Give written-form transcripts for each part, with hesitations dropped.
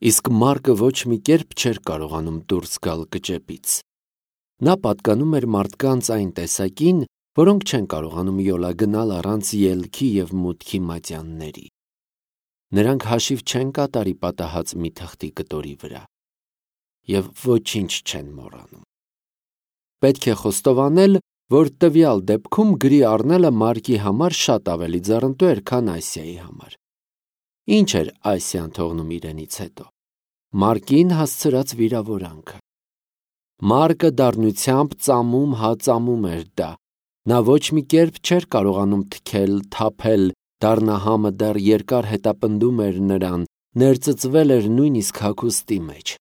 իսկ Մարկը ոչ մի կերպ չէր կարողանում դուրս գալ կճեպից։ Նա պատկանում էր մարդկանց այն տեսակին, որոնք չեն կարողանում յոլա գնալ առանց ելքի և մուտքի մատյանների։ Նրանք հաշիվ չեն կատարի պատահած մի թղթի կտորի վրա և ոչինչ չեն մոռանում։ Պետք է խոստովանել, որ տվյալ դեպքում գրի առնելը Մարկի համար շատ ավելի ձեռնտու էր, քան Ասիայի համար։ Ինչ էր Ասիան թողնում իրենից հետո։ Մարկին հասցրած վիրավորանքը։ Մարկը դառնությամբ ծամում էր դա։ Նա ոչ մի կերպ չէր կարողանում թքել, թափել, դառնահամը դեռ երկար հետապնդում էր նրան, ներծծվել էր նույնիսկ հագուստի մեջ։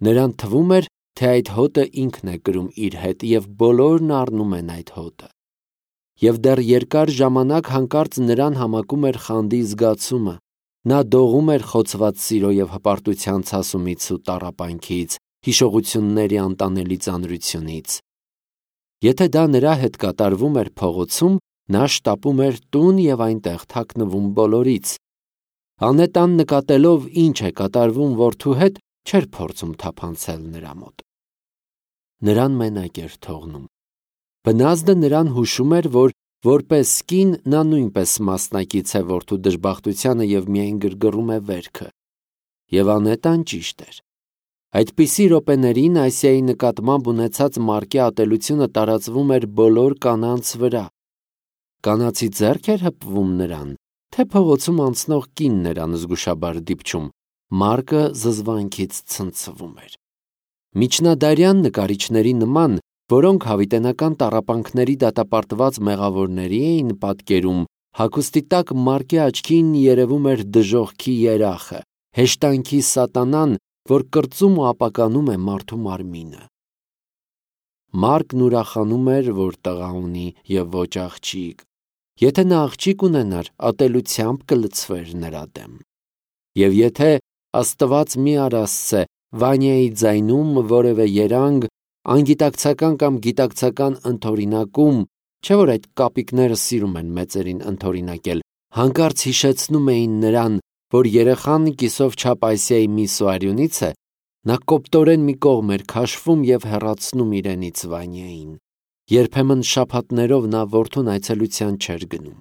Նրան թվում էր, թե այդ հոտը ինքն է կրում իր հետ և բոլորն առնում են այդ հոտը։ Եվ դեռ երկար ժամանակ հանկարծ նրան համակում էր խանդի զգացումը։ Նա դողում էր խոցված սիրո և հպարտության ցասումից ու տառապանքից, հիշողությունների անտանելի ծանրությունից։ Եթե դա նրա հետ կատարվում էր փողոցում, նա շտապում էր տուն և այնտեղ թաքնվում բոլորից։ Անետան նկատելով ինչ է կատարվում որդու հետ, չէր փորձում թափանցել նրա մոտ։ Նրան մենակ էր թողնում։ Բնազդը նրան հուշում էր, որ որպես կին նա նույնպես մասնակից է որդու դժբախտությանը և միայն գրգռում է վերքը։ Եվ Անետան ճիշտ էր։ Այդպիսի րոպեներին Ասիայի նկատմամբ ունեցած Մարկի ատելությունը տարածվում էր բոլոր կանանց վրա։ Կանացի ձեռք էր հպվում նրան, թե փողոցում անցնող կինն էր անզգուշաբար դիպչում, Մարկը զզվանքից ցնցվում էր։ Միջնադարյան նկարիչների նման, որոնք հավիտենական տառապանքների դատապարտված մեղավորների էին պատկերում, հագուստի տակ Մարկի աչքին երևում էր դժոխքի երախը, հեշտանքի սատանան, որ կրծում ու ապականում է մարդու մարմինը։ Մարկն ուրախանում էր, որ տղա ունի և ոչ աղջիկ։ Եթե նա աղջիկ ունենար, ատելությամբ կլցվեր նրա դեմ։ Եվ եթե, Աստված մի առասցե, Վանյայի ձայնում որևէ երանգ, անգիտակցական կամ գիտակցական ընդօրինակում, չէ՞ որ այդ կապիկները սիրում են մեծերին ընդօրինակել, հանկարծ հիշեցնում էին նրան, որ երեխան կիսով չափ Ասիայի միս ու արյունից է, նա կոպտորեն մի կողմ էր քաշվում և հեռացնում իրենից Վանյային։ Երբեմն շաբաթներով նա որդուն այցելության չէր գնում։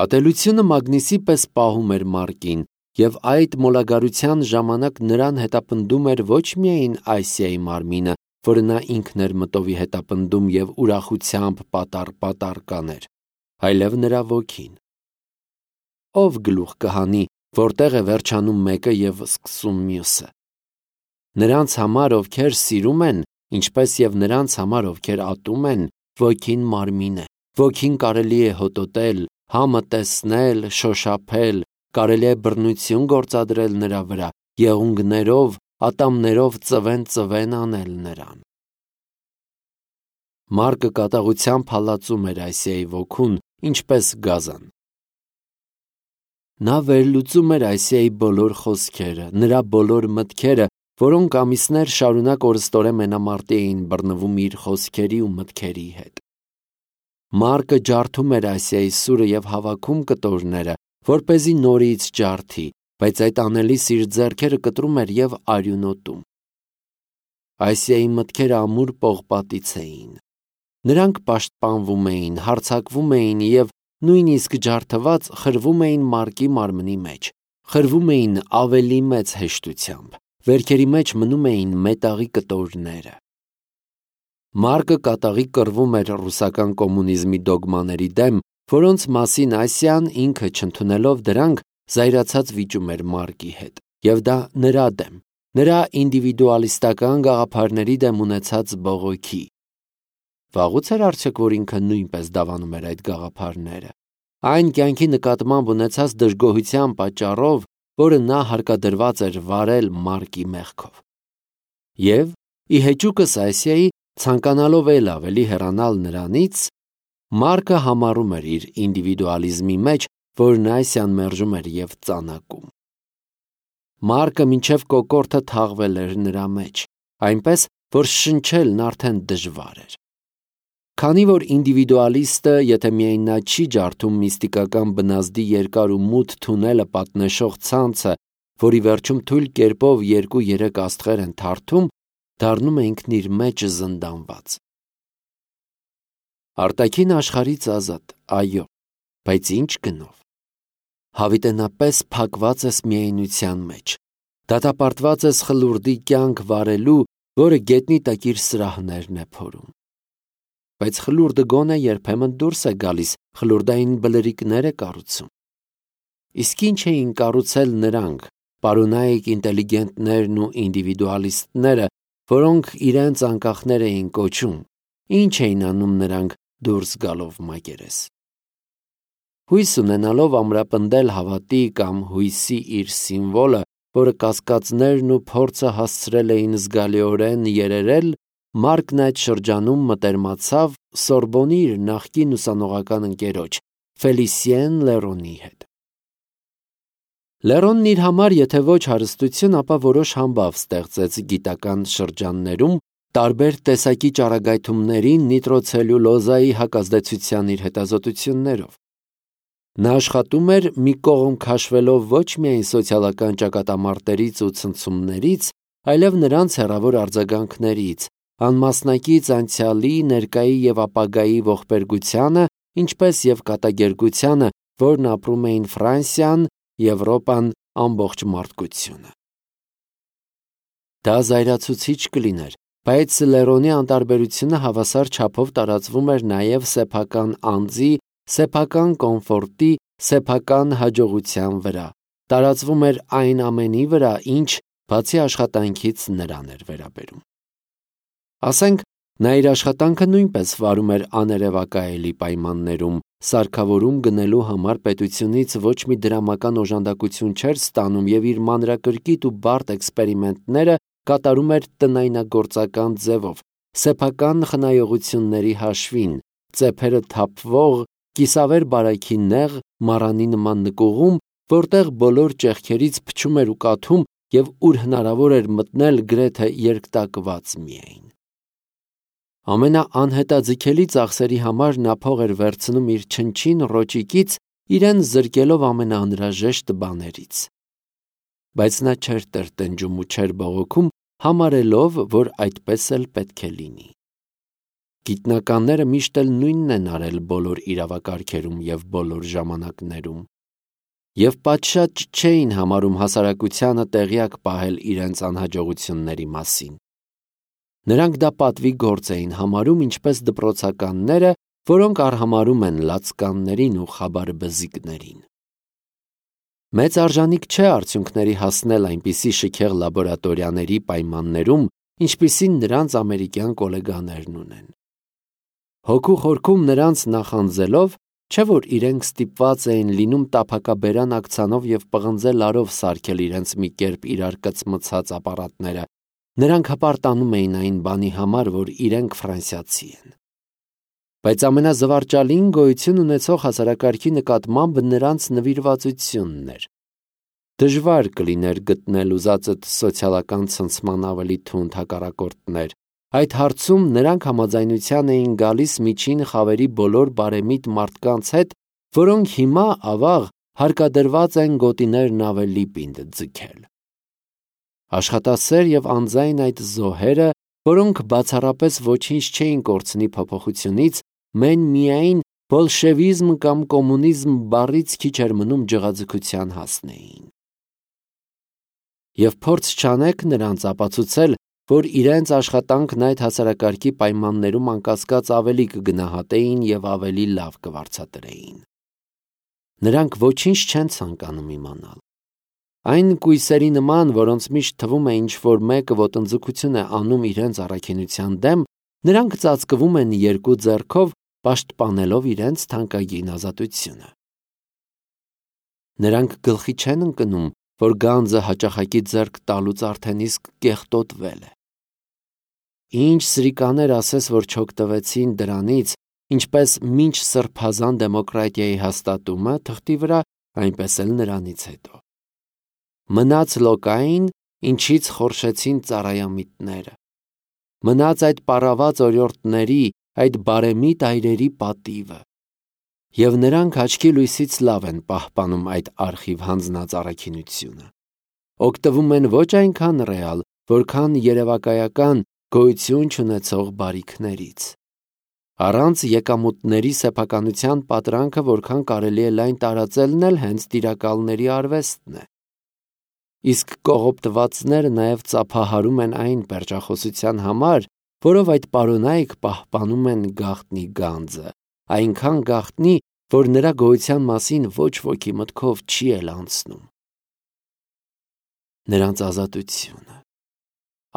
Ատելությունը մագնիսի պես պահում էր Մարկին, և այդ մոլագարության ժամանակ նրան հետապնդում էր ոչ միայն Ասիայի մարմինը, որը նա ինքն էր մտովի հետապնդում և ուրախությամբ պատառ կաներ, այլև նրա ոգին։ Ով գլուխ կհանի, որտեղ է վերջանում մեկը և սկսում մյուսը։ Նրանց համար, ովքեր սիրում են, ինչպես և նրանց համար, ովքեր ատում են, ոգին մարմին է, ոգին կարելի է հոտոտել, համը տեսնել, շոշափել, կարելի է բռնություն գործադրել նրա վրա, եղունգներով, ատամներով ծվեն անել նրան։ Մարկը կատաղությամբ հալածում էր Ասիայի ոգուն, ինչպես գազան։ Նա վերլուծում էր Ասիայի բոլոր խոսքերը, նրա բոլոր մտքերը, որոնք ամիսներ շարունակ օրըստորեն մենամարտի էին բռնվում իր խոսքերի ու մտքերի հետ։ Մարկը ջարդում էր Ասիայի սուրը և հավաքում կտորները, որպեսզի նորից ջարդի, բայց այդ անելիս իր ձեռքերը կտրում էր և արյունոտում։ Ասիայի մտքերը ամուր պողպատից էին։ Նրանք պաշտպանվում էին, հարձակվում էին և նույնիսկ ջարդված խրվում էին Մարկի մարմնի մեջ, խրվում էին ավելի մեծ հեշտությամբ, վերքերի մեջ մնում էին մետաղի կտորները։ Մարկը կատաղի կռվում էր ռուսական կոմունիզմի դոգմաների դեմ, որոնց մասին Ասիան ինքը չընդունելով դրանք զայրացած վիճում էր Մարկի հետ, և դա նրա դեմ, նրա ինդիվիդուալիստական գաղափարների դեմ ունեցած բողոքի։ Վաղուց էր արդյոք, որ ինքը նույնպես դավանում էր այդ գաղափարները։ Այն կյանքի նկատմամբ ունեցած դժգոհության պատճառով, որը նա հարկադրված էր վարել Մարկի մեղքով։ Եվ, ի հեճուկս Ասիայի, ցանկանալով էլ ավելի հեռանալ նրանից, Մարկը համառում էր իր ինդիվիդուալիզմի մեջ, որն Ասիան մերժում էր և ծանակում։ Մարկը մինչև կոկորդը թաղվել էր նրա մեջ, այնպես, որ շնչելն արդեն դժվար էր։ Քանի որ ինդիվիդուալիստը, եթե միայն նա չի ջարդում միստիկական բնազդի երկար ու մութ թունելը պատնեշող ցանցը, որի վերջում թույլ կերպով 2-3 աստղեր են թարթում, դառնում է ինքն իր մեջ զնդանված։ Արտաքին աշխարհից ազատ, այո, բայց ինչ գնով։ Հավիտենապես փակված ես միայնության մեջ, դատապարտված ես խլուրդի կյանք վարելու, որը գետնի տակ իր սրահներն է փորում։ Բայց խլուրդը գոնե երբեմն դուրս է գալիս, խլուրդային բլրիկներ է կառուցում։ Իսկ ինչ էին կառուցել նրանք, պարոնայիկ ինտելիգենտներն ու ինդիվիդուալիստները, որոնք իրենց անկախներ էին կոչում, ինչ էին անում նրանք դուրս գալով մակերես։ Հույս ունենալով ամրապնդել հավատի կամ հույսի իր սիմվոլը, որը կասկածներն ու փորձը հասցրել էին զգալիորեն երերել, Մարկն այդ շրջանում մտերմացավ Սորբոնի իր նախկին ուսանողական ընկերոջ Ֆելիսիեն Լերոնի հետ։ Լերոնն իր համար եթե ոչ հարստություն, ապա որոշ համբավ ստեղծեց գիտական շրջաններում տարբեր տեսակի ճառագայթումների նիտրոցելյուլոզայի հակազդեցության իր հետազոտություններով։ Նա աշխատում էր մի կողմ քաշվելով ոչ միայն սոցիալական ճակատամարտերից ու ցնցումներից, այլև նրանց հեռավոր արձագանքներից, անմասնակից անցյալի, ներկայի և ապագայի ողբերգությանը, ինչպես և կատակերգությանը, որն ապրում էին Ֆրանսիան, Եվրոպան, ամբողջ մարդկությունը։ Դա զայրացուցիչ կլիներ, բայց Լերոնի անտարբերությունը հավասար չափով տարածվում էր նաև սեփական անձի, սեփական կոմֆորտի, սեփական հաջողության վրա, տարածվում էր այն ամենի վրա, ինչ բացի աշխատանքից նրան էր վերաբերում։ Ասենք, նա իր աշխատանքը նույնպես վարում էր աներևակայելի պայմաններում, սարքավորում գնելու համար պետությունից ոչ մի դրամական օժանդակություն չէր ստանում և իր մանրակրկիտ ու բարդ էքսպերիմենտները կատարում էր տնայնագործական ձևով, սեփական խնայողությունների հաշվին, ծեփերը թափվող, կիսավեր բարայքի նեղ, մառանի նման նկուղում, որտեղ բոլոր ճեղքերից փչում էր ու կաթում և ուր հնարավոր էր մտնել գրեթե երկտակված միայն։ Ամենաանհետաձգելի ծախսերի համար նա փող էր վերցնում իր չնչին ռոճիկից, իրեն զրկելով ամենաանհրաժեշտ բաներից։ Բայց նա չէր տրտնջում ու չէր բողոքում, համարելով, որ այդպես էլ պետք է լինի։ Գիտնականները միշտ էլ նույնն են արել բոլոր իրավակարգերում և բոլոր ժամանակներում։ Եվ պատշաճ չէին համարում հասարակությանը տեղյակ պահել իրենց անհաջողությունների մասին։ Նրանք դա պատվի գործ էին համարում, ինչպես դպրոցականները, որոնք արհամարհում են լացկաններին ու խաբարբզիկներին։ Մեծ արժանիք չէ արդյունքների հասնել այնպիսի շքեղ լաբորատորիաների պայմաններում, ինչպիսին նրանց ամերիկյան կոլեգաներն ունեն։ Հոգու խորքում նրանց նախանձելով, չէ որ իրենք ստիպված էին լինում տափակաբերան ակցանով և պղնձե լարով սարքել իրենց մի կերպ իրար կծմցած ապարատները, նրանք հպարտանում էին այն բանի համար, որ իրենք ֆրանսիացի են։ Բայց ամենազվարճալին գոյություն ունեցող հասարակարգի նկատմամբ նրանց նվիրվածությունն էր։ Դժվար կլիներ գտնել ուզածդ սոցիալական ցնցման ավելի թունդ հակառակորդներ։ Այդ հարցում նրանք համաձայնության էին գալիս միջին խավերի բոլոր բարեմիտ մարդկանց հետ, որոնք հիմա, ավաղ, հարկադրված են գոտիներն ավելի պինդ ձգել։ Աշխատասեր և անձայն այդ զոհերը, որոնք բացառապես ոչինչ չէին կորցնի փոփոխությունից, մեն միայն բոլշևիզմ կամ կոմունիզմ բառից քիչ էր մնում ջղաձգության հասնեին։ Եվ փորձ չանեք նրանց ապացուցել, որ իրենց աշխատանքն այդ հասարակարգի պայմաններում անկասկած ավելի կգնահատեին և ավելի լավ կվարձատրեին։ Նրանք ոչինչ չեն ցանկանում իմանալ։ Այն կույսերի նման, որոնց միշտ թվում է ինչ-որ մեկը ոտնձգություն է անում իրենց առաքինության դեմ, նրանք ծածկվում են երկու ձեռքով, պաշտպանելով իրենց թանկագին ազատությունը։ Նրանք գլխի չեն ընկնում, որ գանձը հաճախակի ձեռք տալուց արդեն իսկ կեղտոտվել է։ Ինչ սրիկաներ ասես, որ չօգտվեցին դրանից, ինչպես մինչ սրբազան դեմոկրատիայի հաստատումը թղթի վրա, այնպես էլ նրանից հետո։ Մնաց լոկային, ինչից խորշեցին ծառայամիտները։ Մնաց այդ պառաված օրիորդների, այդ բարեմիտ այրերի պատիվը։ Եվ նրանք աչքի լույսից լավ են պահպանում այդ արխիվ հանձնած առաքինությունը։ օգտվում են ոչ այնքան ռեալ, որքան երևակայական գոյություն չունեցող բարիքներից։ Առանց եկամուտների սեփականության պատրանքը որքան կարելի է լայն տարածելն էլ հենց տիրակալների արվեստն է։ Իսկ կողոպտվածները նաև ծափահարում են այն պերճախոսության համար, որով այդ պարոնայք պահպանում են գաղտնի գանձը, այնքան գաղտնի, որ նրա գոյության մասին ոչ ոքի մտքով չի էլ անցնում։ Նրանց ազատությունը։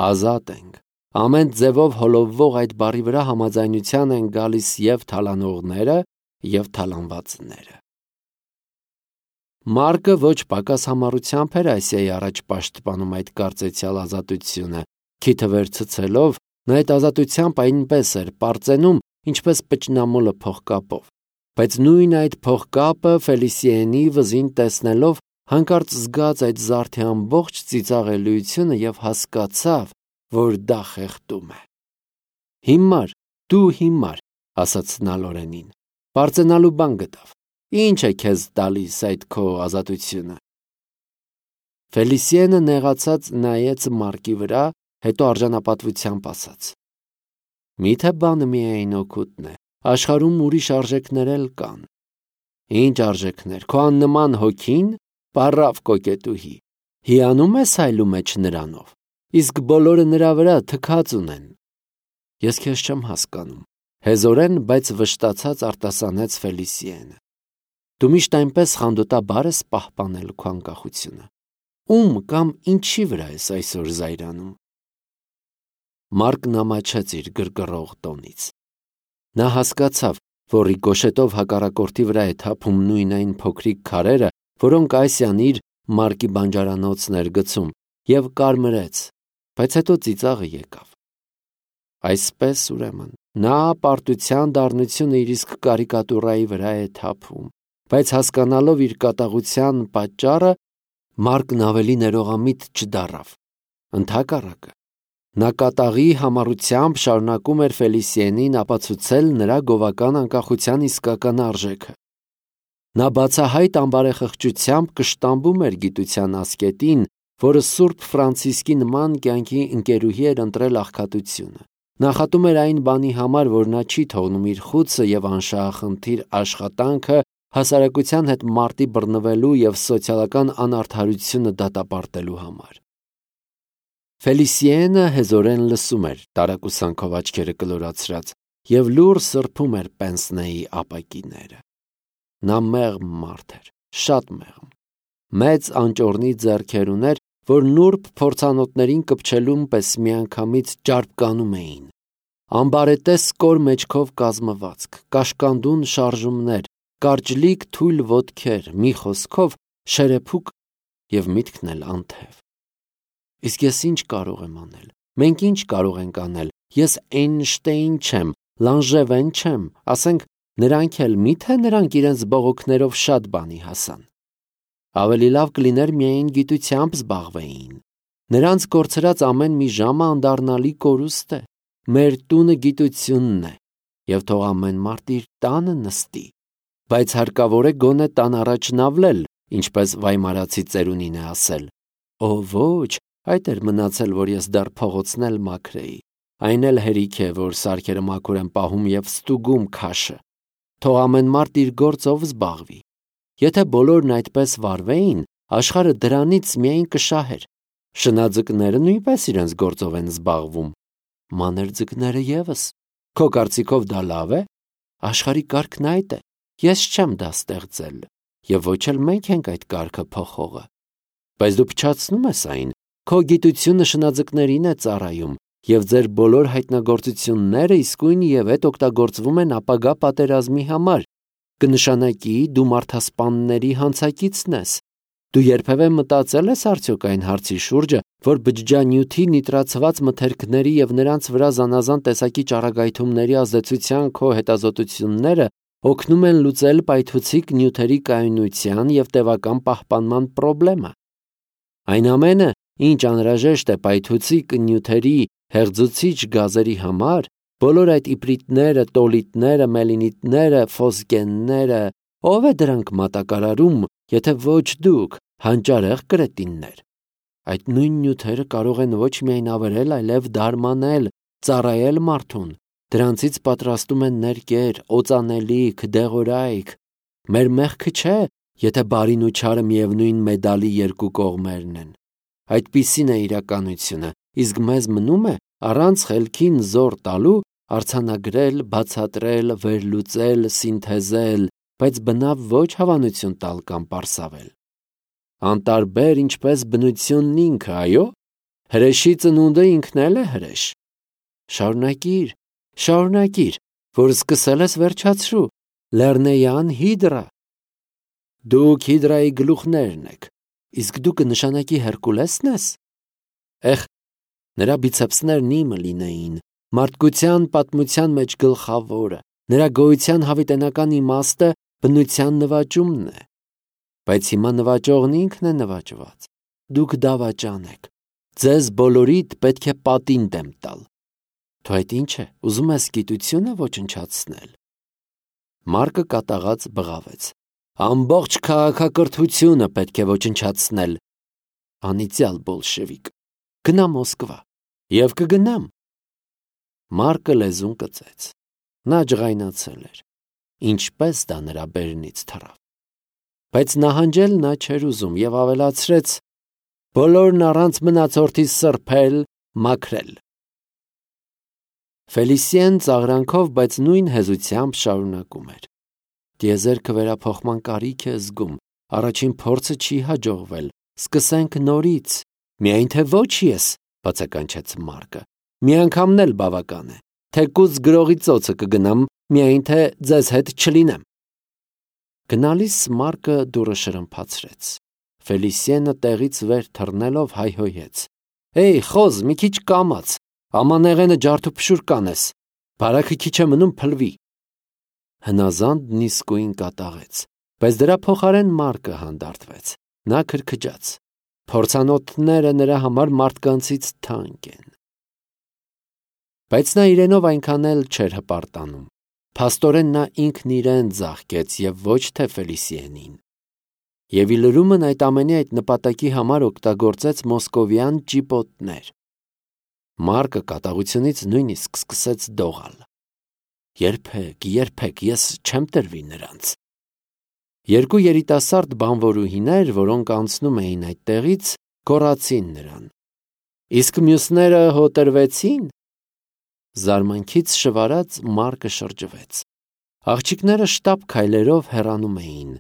Ազատ ենք։ Ամեն ձևով հոլովվող այդ բառի վրա համաձայնության են գալիս և թալանողները, և թալանվածները։ Մարկը ոչ պակաս համառությամբ էր Ասիայի առաջ պաշտպանում այդ կարծեցյալ ազատությունը, քիթը վերցցելով, նա այդ ազատությամբ այնպես էր պարծենում, ինչպես պճնամոլը փողկապով, բայց նույն այդ փողկապը Ֆելիսիենի վզին տեսնելով հանկարծ զգաց այդ զարդի ամբողջ ծիծաղելիությունը և հասկացավ, որ դա խեղդում է։ Հիմար, դու հիմար, ասաց նա Լորենին, պարծենալու բան գտավ, ինչ է քեզ տալիս այդ քո ազատությունը։ Ֆելիսիենը նեղացած նայեց Մարկի վրա, հետո արժանապատվությամբ ասաց. Միթե բանը միայն օգուտն է, աշխարհում ուրիշ արժեքներ էլ կան։ Ինչ արժեքներ, քո աննման հոգին, պառավ կոկետուհի, հիանում ես այլու մեջ նրանով, իսկ բոլորը նրա վրա թքած ունեն։ Ես քեզ չեմ հասկանում, հեզորեն, բայց վշտացած արտասանեց Ֆելիսիենը։ Դու միշտ այնպես խանդոտաբար ես պահպանել քո անկախությունը։ Ում կամ ինչի վրա ես այսօր զայրանում։ Մարկն ամաչեց իր գրգռող տոնից։ Նա հասկացավ, որ ռիկոշետով հակառակորդի վրա է թափում նույն այն փոքրիկ քարերը, որոնք Ասիան իր Մարկի բանջարանոցն էր գցում, և կարմրեց, բայց հետո ծիծաղը եկավ։ Այսպես, ուրեմն, նա պարտության դառնությունը իր իսկ կարիկատուրայի վրա է թափում, բայց հասկանալով իր կատաղության պատճառը, Մարկն ավելի ներողամիտ չդառավ։ Ընդհակառակը, նա կատաղի համառությամբ շարունակում էր Ֆելիսիենին ապացուցել նրա գովական անկախության իսկական արժեքը։ Նա բացահայտ անբարեխղճությամբ կշտամբում էր գիտության ասկետին, որը Սուրբ Ֆրանցիսկի նման կյանքի ընկերուհի էր ընտրել աղքատությունը։ Նախատում էր այն բանի համար, որ նա չի թողնում իր խուցը և անշահախնդիր աշխատանքը հասարակության հետ մարտի բռնվելու և սոցիալական անարդարությունը դատապարտելու համար։ Ֆելիսիենը հեզորեն լսում էր տարակուսանքով աչքերը կլորացրած և լուռ սրբում էր պենսնեի ապակիները։ Նա մեղմ մարդ էր, շատ մեղմ։ Մեծ անճոռնի ձեռքեր ուներ, որ նուրբ փորձանոթներին կպչելուն պես միանգամից ճարպկանում էին։ Ամբարետես կոր մեջքով կազմվածք, կաշկանդուն շարժումներ, կարճլիկ թույլ ոտքեր, մի խոսքով շերեփուկ և միտքն էլ անթև։ Իսկ ես ինչ կարող եմ անել։ Մենք ինչ կարող ենք անել։ Ես Էյնշտեյն չեմ, Լանժևեն չեմ, ասենք նրանք էլ միթե նրանք իրենց բողոքներով շատ բանի հասան։ Ավելի լավ կլիներ միայն գիտությամբ զբաղվեին։ Նրանց կորցրած ամեն մի ժամը անդառնալի կորուստ է։ Մեր տունը գիտությունն է, և թող ամեն մարդ իր տանը նստի, բայց հարկավոր է գոնե տան առաջ նավլել, ինչպես վայմարացի ծերունին է ասել։ Օ ոչ, այդ էր մնացել, որ ես դեռ փողոցն էլ մաքրեի։ Այն էլ հերիք է, որ սարքերը մաքուր են պահում և ստուգում քաշը։ Թող ամեն մարդ իր գործով զբաղվի։ Եթե բոլորն այդպես վարվեին, աշխարհը դրանից միայն կշահեր։ Շնաձկները նույնպես իրենց գործով են զբաղվում։ Մանրձկները ևս։ Քո կարծիքով դա լավ է։ Աշխարհի կարգն այդ է։ Ես չեմ դա ստեղծել, և ոչ էլ մենք ենք այդ կարգը փոխողը։ Բայց դու փչացնում ես այն։ Քո գիտությունը շնաձկներին է ծառայում, և ձեր բոլոր հայտնագործությունները իսկույն և հետ օգտագործվում են ապագա պատերազմի համար։ Կնշանակի դու մարդասպանների հանցակիցն ես։ Դու երբևէ մտածել ես արդյոք այն հարցի շուրջը, որ բջջանյութի նիտրացված մթերքների և նրանց վրա զանազան տեսակի ճառագայթումների ազդեցության քո հետազոտությունները օգնում են լուծել պայթուցիկ նյութերի կայունության և տևական պահպանման պրոբլեմը։ Այն ամենը, ինչ անհրաժեշտ է պայթուցիկ նյութերի հեղձուցիչ գազերի համար, բոլոր այդ իպրիտները, տոլիտները, մելինիտները, ֆոսգենները, ո՞վ է դրանք մատակարարում, եթե ոչ դուք, հանճարեղ կրետիններ։ Այդ նույն նյութերը կարող են ոչ միայն ավերել, այլև դարմանել, ծառայել մարդուն։ Դրանցից պատրաստում են ներկեր, օծանելիք, դեղորայք։ Մեր մեղքը չէ, եթե բարին ու չարը միևնույն մեդալի երկու կողմերն են։ Այդպիսին է իրականությունը, իսկ մեզ մնում է առանց խելքին զոր տալու արձանագրել, բացատրել, վերլուծել, սինթեզել, բայց բնավ ոչ հավանություն տալ կամ պարսավել։ Անտարբեր ինչպես բնությունն ինքը, այո, հրեշի ծնունդը ինքն էլ է հրեշ։ Շարունակիր, որ սկսել ես վերջացրու, լեռնեյան հիդրա։ Դուք հիդրայի գլուխներն եք, իսկ դու կնշանակի Հերկուլեսն ես։ Նրա բիցեպսներն իմը լինեին, մարդկության պատմության մեջ գլխավորը, նրա գոյության հավիտենական իմաստը բնության նվաճումն է։ Բայց հիմա նվաճողն ինքն է նվաճված։ Դուք դավաճան եք։ Ձեզ բոլորիդ պետք է պատին դեմ տալ։ Դու այդ ինչ է, ուզում ես գիտությունը ոչնչացնել։ Մարկը կատաղած բղավեց։ Ամբողջ քաղաքակրթությունը պետք է ոչնչացնել։ Անիծյալ բոլշևիկ։ Գնա Մոսկվա։ Եվ կգնամ։ Մարկը լեզուն կծեց։ Նա ջղայնացել էր։ Ինչպես դա նրա բերնից թռավ։ Բայց նահանջել նա չէր ուզում և ավելացրեց. բոլորն առանց մնացորդի սրբել, մաքրել։ Ֆելիսիեն ծաղրանքով, բայց նույն հեզությամբ շարունակում էր. Տիեզերքը վերափոխման կարիք է զգում, առաջին փորձը չի հաջողվել, սկսենք նորից, միայն թե ոչ ես, բացականչեց Մարկը, մի անգամն էլ բավական է, թեկուզ գրողի ծոցը կգնամ, միայն թե ձեզ հետ չլինեմ։ Գնալիս Մարկը դուռը շրմփացրեց։ Ֆելիսիենը տեղից վեր թռնելով հայհոյեց. Էй, խոզ, մի քիչ կամաց, ամանեղենը ջարդուփշուր կանես, բարակը քիչ է մնում փլվի։ Հնազանդն իսկույն կատաղեց, բայց դրա փոխարեն Մարկը հանդարտվեց։ Նա քրքջաց. փորձանոթները նրա համար մարդկանցից թանկ են։ Բայց նա իրենով այնքան էլ չէր հպարտանում։ Փաստորեն նա ինքն իրեն ձաղկեց և ոչ թե Ֆելիսիենին։ Եվ ի լրումն այդ ամենի այդ նպատակի համար օգտագործեց մոսկովյան ճիպոտներ։ Մարկը կատաղությունից նույնիսկ սկսեց դողալ։ Երբեք ես չեմ տրվի նրանց։ Երկու երիտասարդ բանվորուհիներ, որոնք անցնում էին այդտեղից, գոռացին նրան. Իսկ մյուսները հոտրվեցին։ Զարմանքից շվարած Մարկը շրջվեց։ Աղջիկները շտապ քայլերով հեռանում էին,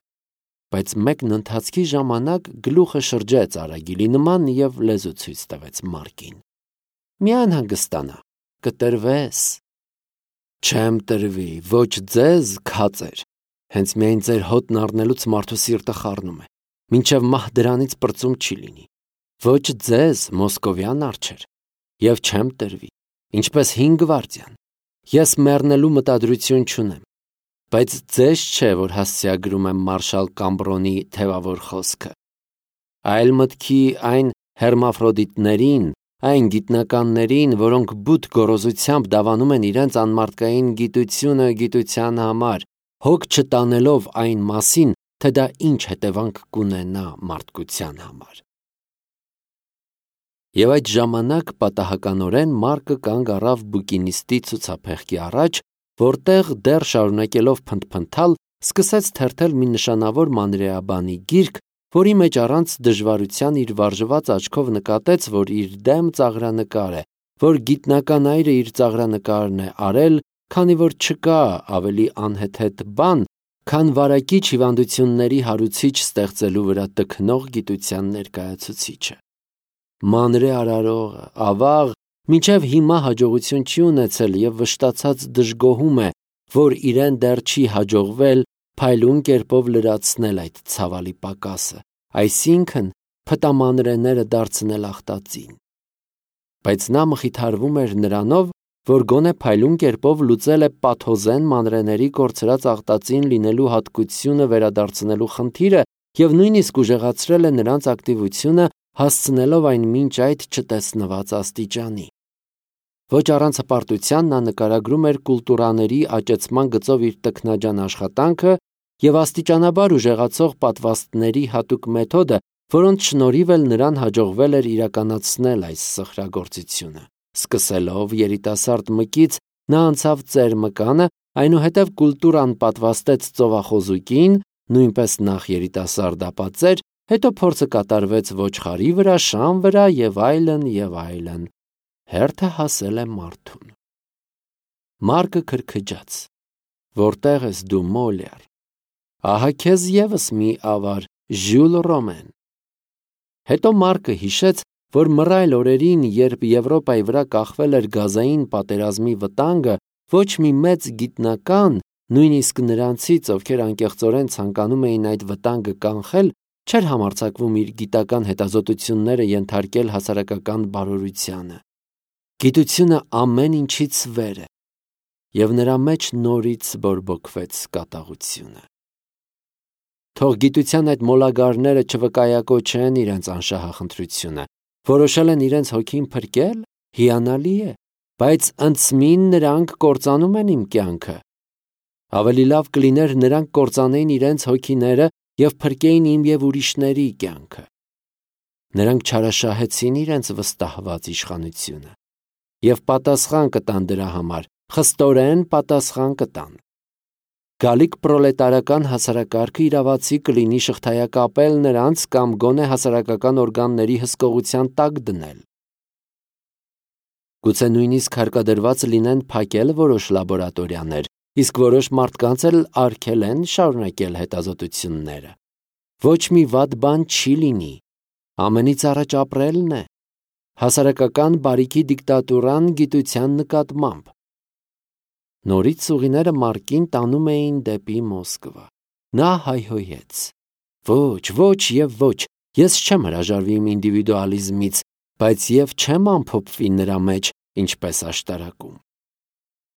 բայց մեկն ընթացքի ժամանակ գլուխը շրջեց արագիլի նման և լեզու ցույց տվեց Մարկին։ Մի անհանգստանա, կտրվես։ Չեմ տրվի, ոչ ձեզ, քածեր, հենց միայն ձեր հոտն առնելուց մարդու սիրտը խառնում է, մինչև մահ դրանից պրծում չի լինի։ Ոչ ձեզ, մոսկովյան արջեր, և չեմ տրվի, ինչպես 5 գվարդիան։ Ես մեռնելու մտադրություն չունեմ, բայց ձեզ չէ, որ հասցեագրում եմ մարշալ Կամբրոնի թևավոր խոսքը, այլ մտքի այն հերմաֆրոդիտներին, այն գիտնականներին, որոնք բութ գոռոզությամբ դավանում են իրենց անմարդկային գիտությունը գիտության համար, հոգ չտանելով այն մասին, թե դա ինչ հետևանք կունենա մարդկության համար։ Եվ այդ ժամանակ պատահականորեն Մարկը կանգ առավ բուկինիստի ցուցափեղկի առաջ, որտեղ դեռ շարունակելով փնթփնթալ, սկսեց թերթել մի նշանավոր մանրեաբանի գիրք, որի մեջ առանց դժվարության իր վարժված աչքով նկատեց, որ իր դեմ ծաղրանկար է, որ գիտնական այրը իր ծաղրանկարն է արել, քանի որ չկա ավելի անհեթեթ բան, քան վարակիչ հիվանդությունների հարուցիչ ստեղծելու վրա տքնող գիտության ներկայացուցիչը։ Մանրե արարողը, ավաղ, մինչև հիմա հաջողություն չի ունեցել և վշտացած դժգոհում է, որ իրեն դեռ չի հաջողվել փայլուն կերպով լրացնել այդ ցավալի պակասը, այսինքն փտամանրեները դարձնել ախտածին։ Բայց նա մխիթարվում էր նրանով, որ գոնե փայլուն կերպով լուծել է պաթոզեն մանրեների կորցրած ախտածին լինելու հատկությունը վերադարձնելու խնդիրը և նույնիսկ ուժեղացրել է նրանց ակտիվությունը, հասցնելով այն մինչ այդ չտեսնված աստիճանի։ Ոչ առանց հպարտության նա նկարագրում էր կուլտուրաների աճեցման գծով իր տքնաջան աշխատանքը և աստիճանաբար ուժեղացող պատվաստների հատուկ մեթոդը, որոնց շնորհիվ էլ նրան հաջողվել էր իրականացնել այս սխրագործությունը։ Սկսելով երիտասարդ մկից նա անցավ ծեր մկանը, այնուհետև կուլտուրան պատվաստեց ծովախոզուկին, նույնպես նախ երիտասարդ ապա ծեր, հետո փորձը կատարվեց ոչխարի վրա, շան վրա եւ այլն եւ այլն։ Հերթը հասել է մարդուն։ Մարկը քրքջաց. Որտեղ ես դու, Մոլյար։ Ահա քեզ եւս մի ավար, Ժյուլ Ռոմեն։ Հետո Մարկը հիշեց, որ մռայլ օրերին, երբ Եվրոպայի վրա կախվել էր գազային պատերազմի վտանգը, ոչ մի մեծ գիտնական, նույնիսկ նրանցից, ովքեր անկեղծորեն ցանկանում էին այդ վտանգը կանխել, չէր համարձակվում իր գիտական հետազոտությունները ենթարկել հասարակական բարօրությանը։ Գիտությունը ամեն ինչից վեր է, եւ նրա մեջ նորից բորբոքվեց կատաղությունը։ Թող գիտության այդ մոլագարները չվկայակոչեն իրենց անշահախնդրությունը, որոշել են իրենց հոգին փրկել, հիանալի է, բայց ընծմին նրանք կործանում են իմ կյանքը։ Ավելի լավ կլիներ նրանք կործանեին իրենց հոգիները եւ փրկեին իմ եւ ուրիշների կյանքը։ Նրանք չարաշահեցին իրենց վստահված իշխանությունը եւ պատասխան կտան դրա համար, խստորեն պատասխան կտան։ Գալիք պրոլետարական հասարակարգը իրավացի կլինի շղթայակապել նրանց կամ գոնե հասարակական օրգանների հսկողության տակ դնել։ Գուցե նույնիսկ հարկադրված լինեն փակել որոշ լաբորատորիաներ, իսկ որոշ մարդկանց էլ արգել են շարունակել հետազոտությունները։ Ոչ մի վատ բան չի լինի, ամենից առաջ ապրելն է, հասարակական բարիքի դիկտատուրան գիտության նկատմամբ։ Նորից ուղիները Մարկին տանում էին դեպի Մոսկվա։ Նա հայհոյեց. Ոչ, ոչ եւ ոչ, ես չեմ հրաժարվի իմ ինդիվիդուալիզմից, բայց եւ չեմ ամփոփվի նրա մեջ, ինչպես աշտարակում։